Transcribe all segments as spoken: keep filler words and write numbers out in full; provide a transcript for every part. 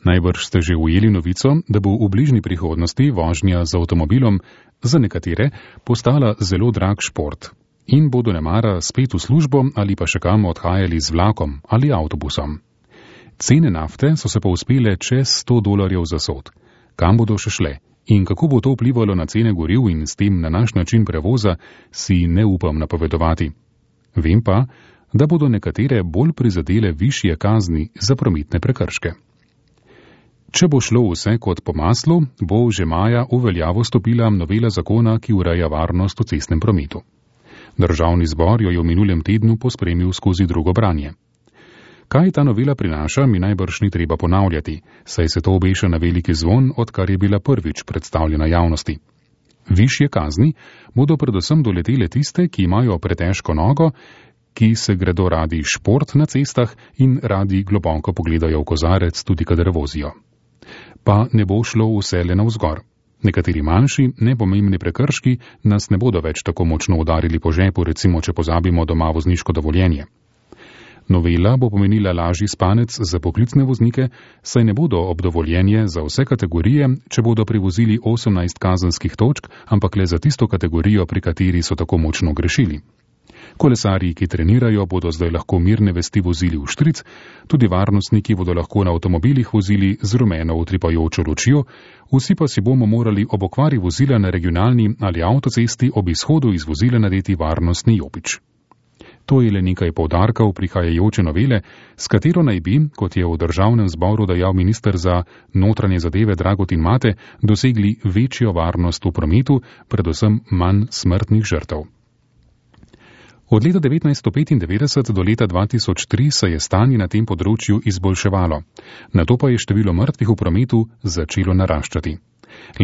Najbrž ste že ujeli novico, da bo v bližnji prihodnosti vožnja z avtomobilom za nekatere postala zelo drag šport in bodo nemara spet v službo ali pa še kam odhajali z vlakom ali avtobusom. Cene nafte so se pa uspele čez sto dolarjev za sod. Kam bodo še šle in kako bo to vplivalo na cene goriv in s tem na naš način prevoza, si ne upam napovedovati. Vem pa, da bodo nekatere bolj prizadele višje kazni za prometne prekrške. Če bo šlo vse kot po maslu, bo že maja v veljavo stopila novela zakona, ki ureja varnost v cestnem prometu. Državni zbor jo je v minulem tednu pospremil skozi drugo branje. Kaj ta novela prinaša, mi najbrž ni treba ponavljati, saj se to obeša na veliki zvon, odkar je bila prvič predstavljena javnosti. Višje kazni bodo predvsem doletele tiste, ki imajo pretežko nogo, ki se gredo radi šport na cestah in radi globoko pogledajo v kozarec, tudi kadar vozijo. Pa ne bo šlo vse le navzgor. Nekateri manjši, nepomembni prekrški nas ne bodo več tako močno udarili po žepu, recimo če pozabimo doma vozniško dovoljenje. Novela bo pomenila lažji spanec za poklicne voznike, saj ne bodo ob dovoljenje za vse kategorije, če bodo prevozili osemnajst kazenskih točk, ampak le za tisto kategorijo, pri kateri so tako močno grešili. Kolesarji, ki trenirajo, bodo zdaj lahko mirne vesti vozili v štric, tudi varnostniki bodo lahko na avtomobilih vozili z rumeno utripajočo lučjo, vsi pa si bomo morali ob okvari vozila na regionalni ali avtocesti ob izhodu iz vozila nadeti varnostni jopič. To je le nekaj poudarkov prihajajoče novele, s katero naj bi, kot je v državnem zboru dejal minister za notranje zadeve Dragutin Mate, dosegli večjo varnost v prometu, predvsem manj smrtnih žrtev. Od leta devetnajststo petindevetdeset do leta dva tisoč tri se je stanje na tem področju izboljševalo, nato pa je število mrtvih v prometu začelo naraščati.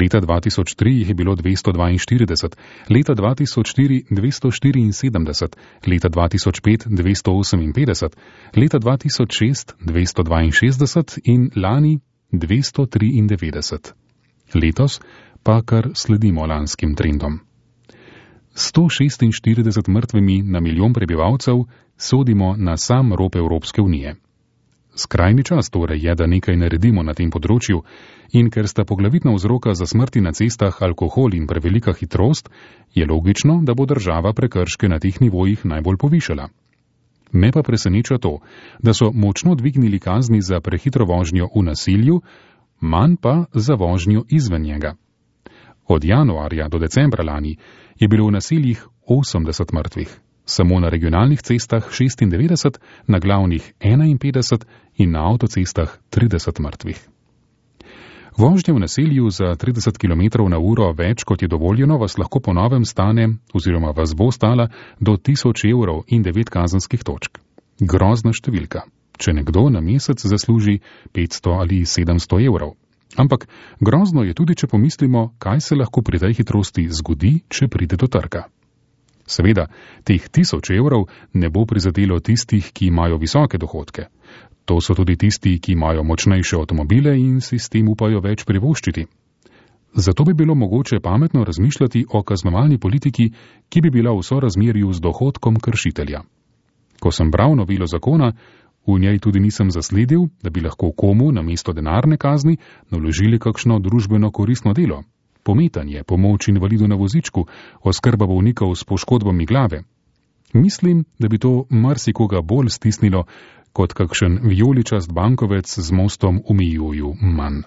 Leta dva tisoč tri jih je bilo dvesto dvainštirideset, leta dva tisoč štiri dvesto štiriinsedemdeset, leta dva tisoč pet dvesto oseminpetdeset, leta dva tisoč šest dvesto dvainšestdeset in lani dvesto triindevetdeset. Letos pa kar sledimo lanskim trendom. sto šestinštirideset mrtvimi na milijon prebivalcev sodimo na sam rob Evropske unije. Skrajni čas torej je, da nekaj naredimo na tem področju in ker sta poglavitna vzroka za smrti na cestah alkohol in prevelika hitrost, je logično, da bo država prekrške na teh nivojih najbolj povišala. Me pa preseneča to, da so močno dvignili kazni za prehitro vožnjo v naselju, manj pa za vožnjo izven njega. Od januarja do decembra lani je bilo v naseljih osemdeset mrtvih, samo na regionalnih cestah šestindevetdeset, na glavnih enainpetdeset in na avtocestah trideset mrtvih. Vožnja v naselju za trideset kilometrov na uro več, kot je dovoljeno, vas lahko po novem stane oziroma vas bo stala do tisoč evrov in devet kazenskih točk. Grozna številka, če nekdo na mesec zasluži petsto ali sedemsto evrov. Ampak grozno je tudi, če pomislimo, kaj se lahko pri tej hitrosti zgodi, če pride do trka. Seveda, teh tisoč evrov ne bo prizadelo tistih, ki imajo visoke dohodke. To so tudi tisti, ki imajo močnejše avtomobile in si s tem upajo več privoščiti. Zato bi bilo mogoče pametno razmišljati o kaznovalni politiki, ki bi bila v sorazmerju z dohodkom kršitelja. Ko sem bral novelo zakona, v njej tudi nisem zasledil, da bi lahko komu namesto denarne kazni naložili kakšno družbeno koristno delo. Pometanje, pomoč invalidu na vozičku, oskrba bolnikov s poškodbami glave. Mislim, da bi to marsikoga bolj stisnilo, kot kakšen vijoličast bankovec z mostom v Mijuju manj.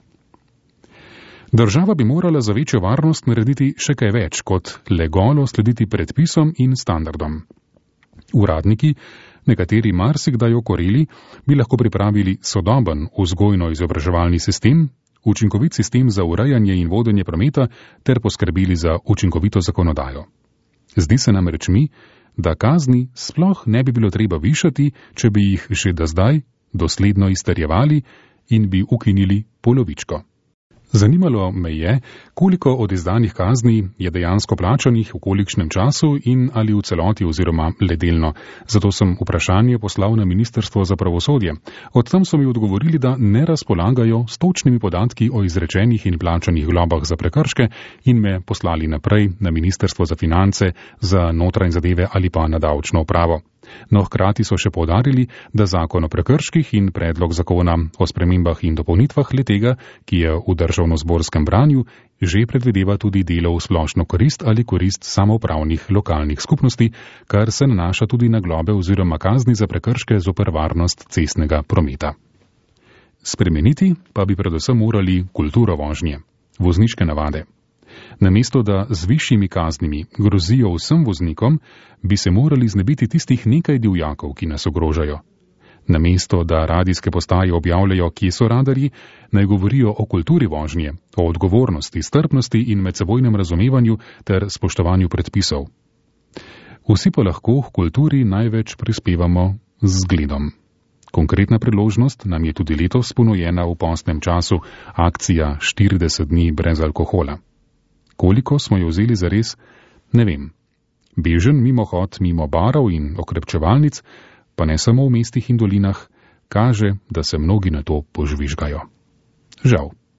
Država bi morala za večjo varnost narediti še kaj več, kot le golo slediti predpisom in standardom. Uradniki, nekateri marsikdaj okoreli, bi lahko pripravili sodoben vzgojno-izobraževalni sistem, učinkovit sistem za urejanje in vodenje prometa ter poskrbeli za učinkovito zakonodajo. Zdi se nam reč mi, da kazni sploh ne bi bilo treba višati, če bi jih že do zdaj dosledno izterjevali in bi ukinili polovičko. Zanimalo me je, koliko od izdanih kazni je dejansko plačanih, v kolikšnem času in ali v celoti oziroma le delno. Zato sem vprašanje poslal na Ministrstvo za pravosodje. Od tam so mi odgovorili, da ne razpolagajo s točnimi podatki o izrečenih in plačanih globah za prekrške in me poslali naprej na Ministrstvo za finance, za notranje zadeve ali pa na davčno upravo. No, hkrati so še poudarili, da zakon o prekrških in predlog zakona o spremembah in dopolnitvah letega, ki je v državnozborskem branju, že predvideva tudi delo v splošno korist ali korist samoupravnih lokalnih skupnosti, kar se nanaša tudi na globe oziroma kazni za prekrške zoper varnost cestnega prometa. Spremeniti pa bi predvsem morali kulturo vožnje, vozniške navade. Namesto da z višjimi kaznimi grozijo vsem voznikom, bi se morali znebiti tistih nekaj divjakov, ki nas ogrožajo. Namesto da radijske postaje objavljajo, kje so radarji, naj govorijo o kulturi vožnje, o odgovornosti, strpnosti in medsebojnem razumevanju ter spoštovanju predpisov. Vsi pa lahko k kulturi največ prispevamo z zgledom. Konkretna priložnost nam je tudi letos ponujena v postnem času, akcija štirideset dni brez alkohola. Koliko smo jo vzeli zares, ne vem. Bežen mimohod mimo barov in okrepčevalnic, pa ne samo v mestih in dolinah, kaže, da se mnogi na to požvižgajo. Žal.